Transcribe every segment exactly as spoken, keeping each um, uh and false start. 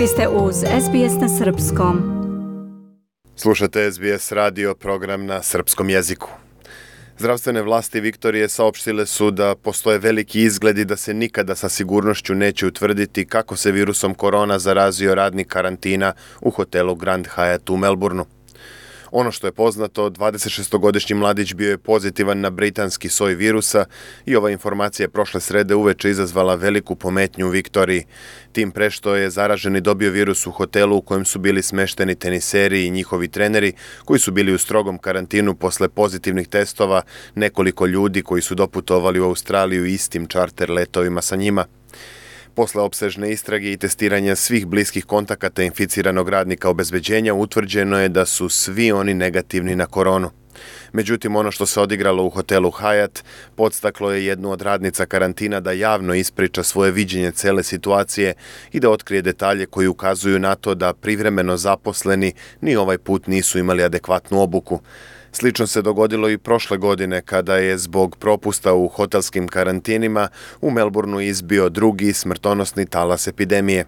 Vi ste uz S B S na srpskom. Slušate S B S radio, program na srpskom jeziku. Zdravstvene vlasti Viktorije saopštile su da postoje veliki izgledi da se nikada sa sigurnošću neće utvrditi kako se virusom korona zarazio radnik karantina u hotelu Grand Hyatt u Melbourneu. Ono što je poznato, dvadesetšestogodišnji mladić bio je pozitivan na britanski soj virusa i ova informacija je prošle srede uveče izazvala veliku pometnju u Viktoriji. Tim pre što je zaraženi dobio virus u hotelu u kojem su bili smešteni teniseri i njihovi treneri koji su bili u strogom karantinu posle pozitivnih testova nekoliko ljudi koji su doputovali u Australiju istim čarter letovima sa njima. Posle opsežne istrage i testiranja svih bliskih kontakata inficiranog radnika obezbeđenja utvrđeno je da su svi oni negativni na koronu. Međutim, ono što se odigralo u hotelu Hyatt podstaklo je jednu od radnica karantina da javno ispriča svoje viđenje cele situacije i da otkrije detalje koji ukazuju na to da privremeno zaposleni ni ovaj put nisu imali adekvatnu obuku. Slično se dogodilo i prošle godine kada je zbog propusta u hotelskim karantinima u Melbourneu izbio drugi smrtonosni talas epidemije.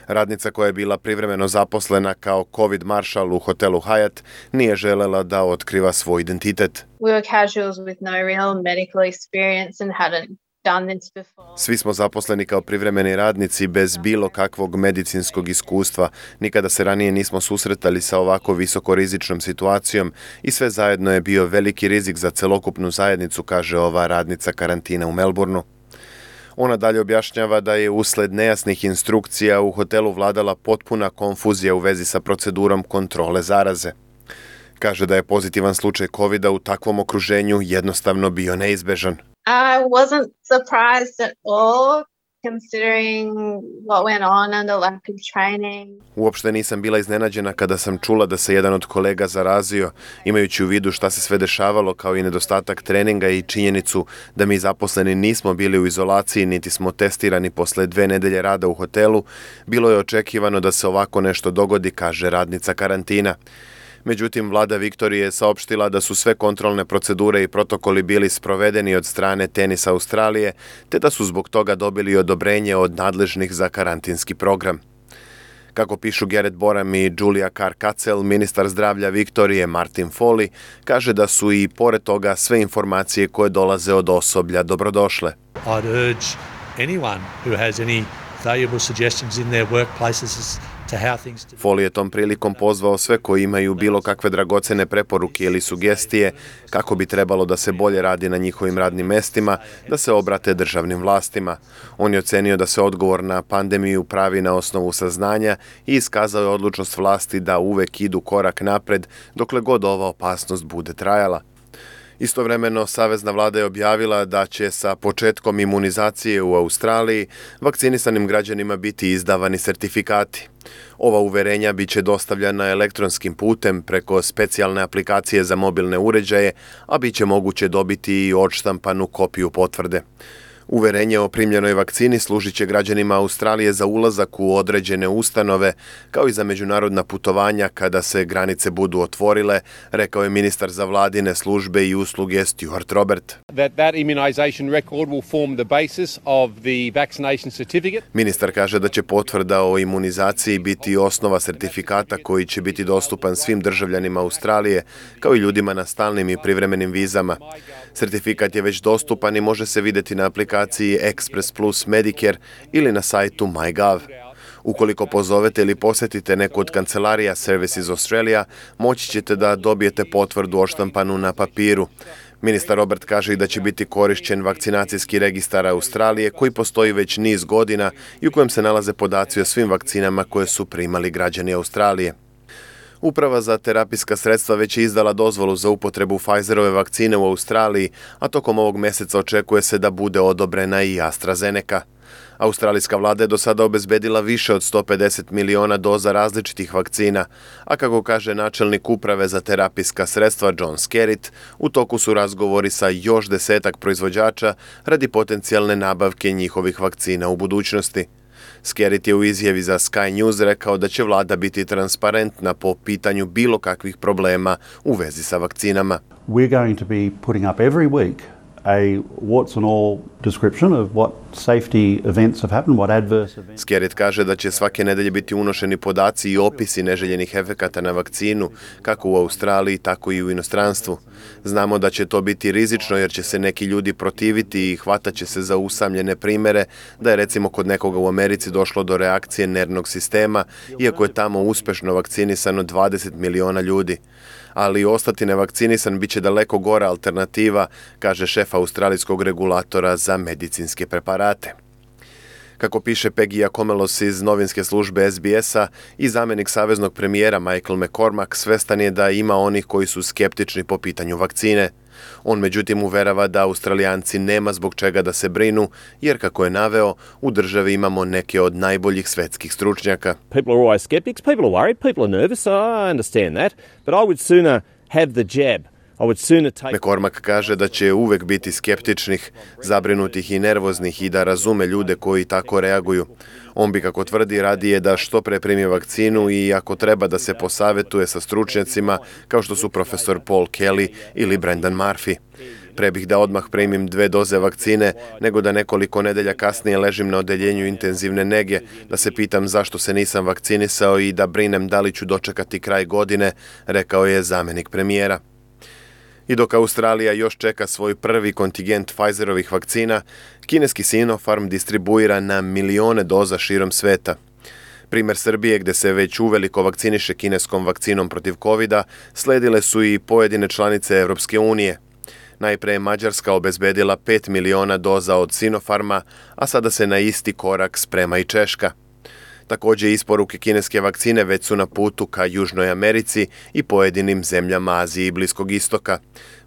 Radnica koja je bila privremeno zaposlena kao COVID maršal u hotelu Hyatt nije želela da otkriva svoj identitet. We were casuals with no real medical experience and hadn't done this before. Svi smo zaposleni kao privremeni radnici bez bilo kakvog medicinskog iskustva. Nikada se ranije nismo susretali sa ovako visokorizičnom situacijom i sve zajedno je bio veliki rizik za celokupnu zajednicu, kaže ova radnica karantina u Melbourneu. Ona dalje objašnjava da je usled nejasnih instrukcija u hotelu vladala potpuna konfuzija u vezi sa procedurom kontrole zaraze. Kaže da je pozitivan slučaj kovida u takvom okruženju jednostavno bio neizbežan. I wasn't surprised at all, considering what went on and the lack of training. Uopšte nisam bila iznenađena kada sam čula da se jedan od kolega zarazio, imajući u vidu šta se sve dešavalo kao i nedostatak treninga i činjenicu da mi zaposleni nismo bili u izolaciji niti smo testirani posle dve nedelje rada u hotelu. Bilo je očekivano da se ovako nešto dogodi, kaže radnica karantina. Međutim, vlada Viktorije je saopštila da su sve kontrolne procedure i protokoli bili sprovedeni od strane Tenis Australije, te da su zbog toga dobili odobrenje od nadležnih za karantinski program. Kako pišu Garrett Boram i Julia Carr-Katzel, ministar zdravlja Viktorije Martin Foley kaže da su i pored toga sve informacije koje dolaze od osoblja dobrodošle. I'd urge anyone who has any valuable suggestions in their workplaces Foley je tom prilikom pozvao sve koji imaju bilo kakve dragocene preporuke ili sugestije kako bi trebalo da se bolje radi na njihovim radnim mestima, da se obrate državnim vlastima. On je ocenio da se odgovor na pandemiju pravi na osnovu saznanja i iskazao je odlučnost vlasti da uvek idu korak napred dokle god ova opasnost bude trajala. Istovremeno, savezna vlada je objavila da će sa početkom imunizacije u Australiji vakcinisanim građanima biti izdavani sertifikati. Ova uverenja biće dostavljana elektronskim putem preko specijalne aplikacije za mobilne uređaje, a biće moguće dobiti i odštampanu kopiju potvrde. Uverenje o primljenoj vakcini služit će građanima Australije za ulazak u određene ustanove, kao i za međunarodna putovanja kada se granice budu otvorile, rekao je ministar za vladine službe i usluge Stuart Robert. That that immunization record will form the basis of the vaccination certificate. Ministar kaže da će potvrda o imunizaciji biti osnova sertifikata koji će biti dostupan svim državljanima Australije, kao i ljudima na stalnim i privremenim vizama. Sertifikat je već dostupan i može se vidjeti na aplikaciji Express Plus Medicare ili na sajtu MyGov. Ukoliko pozovete ili posjetite neku od kancelarija Services Australia, moći ćete da dobijete potvrdu odštampanu na papiru. Ministar Robert kaže i da će biti korišćen vakcinacijski registar Australije koji postoji već niz godina i u kojem se nalaze podaci o svim vakcinama koje su primali građani Australije. Uprava za terapijska sredstva već je izdala dozvolu za upotrebu Pfizerove vakcine u Australiji, a tokom ovog meseca očekuje se da bude odobrena i AstraZeneca. Australijska vlada je do sada obezbedila više od sto pedeset miliona doza različitih vakcina, a kako kaže načelnik uprave za terapijska sredstva John Skerritt, u toku su razgovori sa još desetak proizvođača radi potencijalne nabavke njihovih vakcina u budućnosti. Skerritt je u izjavi za Sky News rekao da će vlada biti transparentna po pitanju bilo kakvih problema u vezi sa vakcinama. We're going to be putting up every week a warts and all description of what safety events have happened, what adverse events. Skerrit kaže da će svake nedelje biti unošeni podaci i opisi neželjenih efekata na vakcinu, kako u Australiji, tako i u inostranstvu. Znamo da će to biti rizično jer će se neki ljudi protiviti i hvatat će se za usamljene primere da je recimo kod nekoga u Americi došlo do reakcije nervnog sistema, iako je tamo uspešno vakcinisano dvadeset miliona ljudi. Ali ostati nevakcinisan bit će daleko gora alternativa, kaže šef australijskog regulatora za medicinske preparate. Kako piše Peggy Komelos iz novinske službe S B S-a i zamjenik saveznog premijera Michael McCormack svestan je da ima onih koji su skeptični po pitanju vakcine. On međutim uverava da Australijanci nema zbog čega da se brinu, jer kako je naveo, u državi imamo neke od najboljih svetskih stručnjaka. People are always skeptics, people are worried, people are nervous, I understand that, but I would sooner have the jab. I would sooner take... McCormack kaže da će uvek biti skeptičnih, zabrinutih i nervoznih i da razume ljude koji tako reaguju. On bi, kako tvrdi, radije da što pre primi vakcinu i ako treba da se posavetuje sa stručnjacima kao što su profesor Paul Kelly ili Brendan Murphy. Pre bih da odmah primim dve doze vakcine, nego da nekoliko nedelja kasnije ležim na odeljenju intenzivne nege, da se pitam zašto se nisam vakcinisao i da brinem da li ću dočekati kraj godine, rekao je zamjenik premijera. I dok Australija još čeka svoj prvi kontingent Pfizerovih vakcina, kineski Sinopharm distribuira na milione doza širom sveta. Primer Srbije, gde se već uveliko vakciniše kineskom vakcinom protiv kovida, sledile su i pojedine članice Evropske unije. Najpre je Mađarska obezbedila pet miliona doza od Sinopharma, a sada se na isti korak sprema i Češka. Također isporuke kineske vakcine već su na putu ka Južnoj Americi i pojedinim zemljama Azije i Bliskog istoka.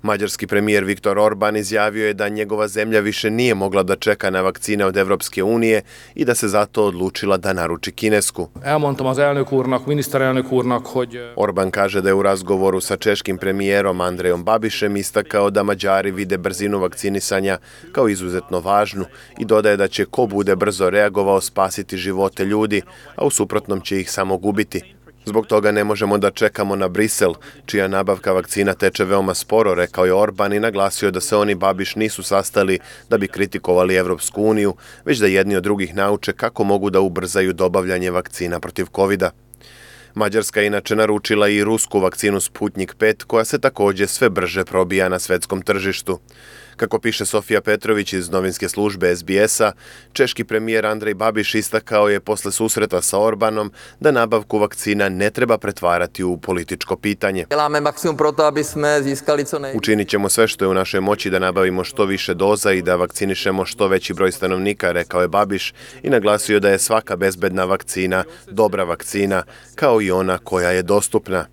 Mađarski premijer Viktor Orban izjavio je da njegova zemlja više nije mogla da čeka na vakcine od Evropske unije i da se zato odlučila da naruči kinesku. Elmondtam az elnök úrnak, miniszterelnök úrnak, hogy... Orban kaže da je u razgovoru sa češkim premijerom Andrejom Babišem istakao da Mađari vide brzinu vakcinisanja kao izuzetno važnu i dodaje da će ko bude brzo reagovao spasiti živote ljudi, a u suprotnom će ih samo gubiti. Zbog toga ne možemo da čekamo na Brisel, čija nabavka vakcina teče veoma sporo, rekao je Orban i naglasio da se oni Babiš nisu sastali da bi kritikovali Evropsku uniju, već da jedni od drugih nauče kako mogu da ubrzaju dobavljanje vakcina protiv kovida. Mađarska je inače naručila i rusku vakcinu Sputnik pet, koja se također sve brže probija na svetskom tržištu. Kako piše Sofija Petrović iz novinske službe S B S-a, češki premijer Andrej Babiš istakao je posle susreta sa Orbanom da nabavku vakcina ne treba pretvarati u političko pitanje. Učinit ćemo sve što je u našoj moći da nabavimo što više doza i da vakcinišemo što veći broj stanovnika, rekao je Babiš i naglasio da je svaka bezbedna vakcina dobra vakcina, kao i ona koja je dostupna.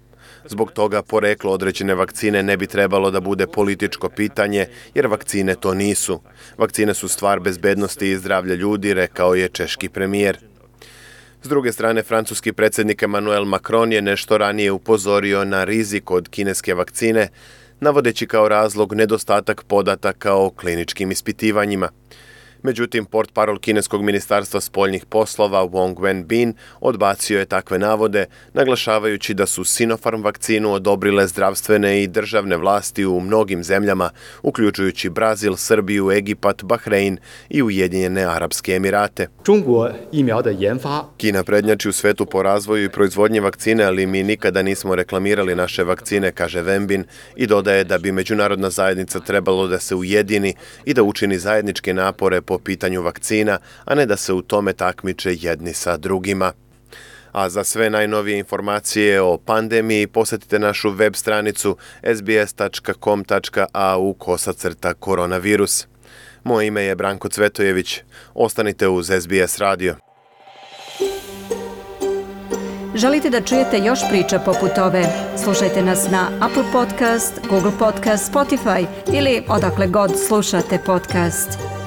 Zbog toga poreklo određene vakcine ne bi trebalo da bude političko pitanje, jer vakcine to nisu. Vakcine su stvar bezbednosti i zdravlja ljudi, rekao je češki premijer. S druge strane, francuski predsjednik Emmanuel Macron je nešto ranije upozorio na rizik od kineske vakcine, navodeći kao razlog nedostatak podataka o kliničkim ispitivanjima. Međutim, portparol kineskog ministarstva spoljnih poslova Wong Wenbin odbacio je takve navode, naglašavajući da su Sinopharm vakcinu odobrile zdravstvene i državne vlasti u mnogim zemljama, uključujući Brazil, Srbiju, Egipat, Bahrein i Ujedinjene Arapske Emirate. Kina prednjači u svetu po razvoju i proizvodnji vakcine, ali mi nikada nismo reklamirali naše vakcine, kaže Wenbin, i dodaje da bi međunarodna zajednica trebalo da se ujedini i da učini zajedničke napore po pitanju vakcina, a ne da se u tome takmiče jedni sa drugima. A za sve najnovije informacije o pandemiji posjetite našu web stranicu s b s tačka com tačka a u kosacrta koronavirus. Moje ime je Branko Cvetojević. Ostanite uz S B S radio. Želite da čujete još priča poput ove? Slušajte nas na Apple Podcast, Google Podcast, Spotify ili odakle god slušate podcast.